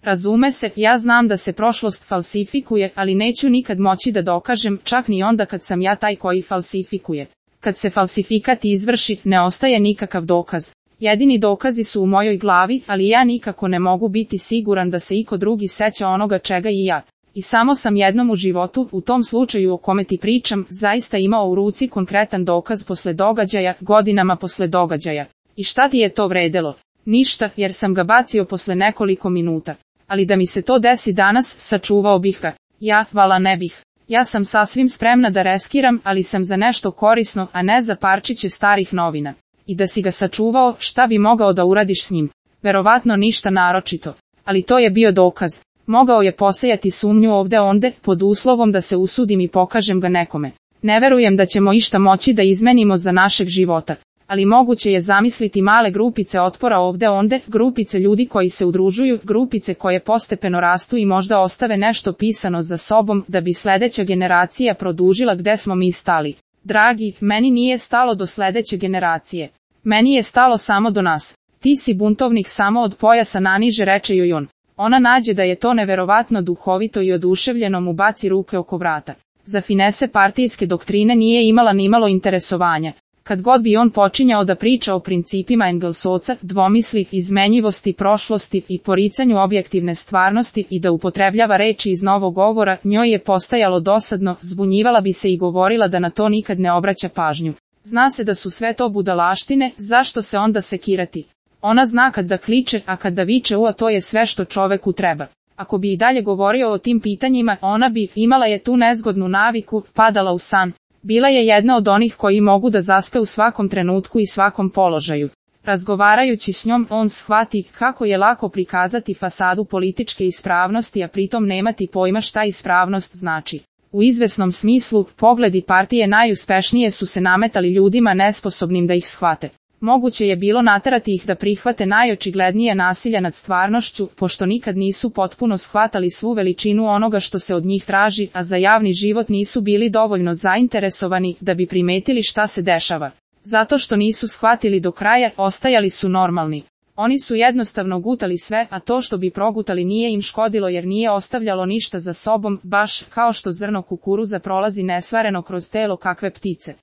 Razume se, ja znam da se prošlost falsifikuje, ali neću nikad moći da dokažem, čak ni onda kad sam ja taj koji falsifikuje. Kad se falsifikat izvrši, ne ostaje nikakav dokaz. Jedini dokazi su u mojoj glavi, ali ja nikako ne mogu biti siguran da se iko drugi seća onoga čega i ja. I samo sam jednom u životu, u tom slučaju o kome ti pričam, zaista imao u ruci konkretan dokaz posle događaja, godinama posle događaja. I šta ti je to vredelo? Ništa, jer sam ga bacio posle nekoliko minuta. Ali da mi se to desi danas, sačuvao bih ga. Ja, vala ne bih. Ja sam sasvim spremna da reskiram, ali sam za nešto korisno, a ne za parčiće starih novina. I da si ga sačuvao, šta bi mogao da uradiš s njim? Verovatno ništa naročito. Ali to je bio dokaz. Mogao je posejati sumnju ovde onde, pod uslovom da se usudim i pokažem ga nekome. Ne verujem da ćemo išta moći da izmenimo za našeg života. Ali moguće je zamisliti male grupice otpora ovde onde, grupice ljudi koji se udružuju, grupice koje postepeno rastu i možda ostave nešto pisano za sobom, da bi sledeća generacija produžila gde smo mi stali. Dragi, meni nije stalo do sledeće generacije. Meni je stalo samo do nas. Ti si buntovnik samo od pojasa naniže, reče joj on. Ona nađe da je to neverovatno duhovito i oduševljeno mu baci ruke oko vrata. Za finese partijske doktrine nije imala nimalo interesovanja. Kad god bi on počinjao da priča o principima Engelsovca, dvomisli, izmenjivosti prošlosti i poricanju objektivne stvarnosti i da upotrebljava reči iz novog govora, njoj je postajalo dosadno, zbunjivala bi se i govorila da na to nikad ne obraća pažnju. Zna se da su sve to budalaštine, zašto se onda sekirati? Ona zna kad da kliče, a kad da viče to je sve što čoveku treba. Ako bi i dalje govorio o tim pitanjima, ona bi, imala je tu nezgodnu naviku, padala u san. Bila je jedna od onih koji mogu da zaspe u svakom trenutku i svakom položaju. Razgovarajući s njom, on shvati kako je lako prikazati fasadu političke ispravnosti, a pritom nemati pojma šta ispravnost znači. U izvesnom smislu, pogledi partije najuspešnije su se nametali ljudima nesposobnim da ih shvate. Moguće je bilo naterati ih da prihvate najočiglednije nasilja nad stvarnošću, pošto nikad nisu potpuno shvatali svu veličinu onoga što se od njih traži, a za javni život nisu bili dovoljno zainteresovani da bi primetili šta se dešava. Zato što nisu shvatili do kraja, ostajali su normalni. Oni su jednostavno gutali sve, a to što bi progutali nije im škodilo jer nije ostavljalo ništa za sobom, baš kao što zrno kukuruza prolazi nesvareno kroz telo kakve ptice.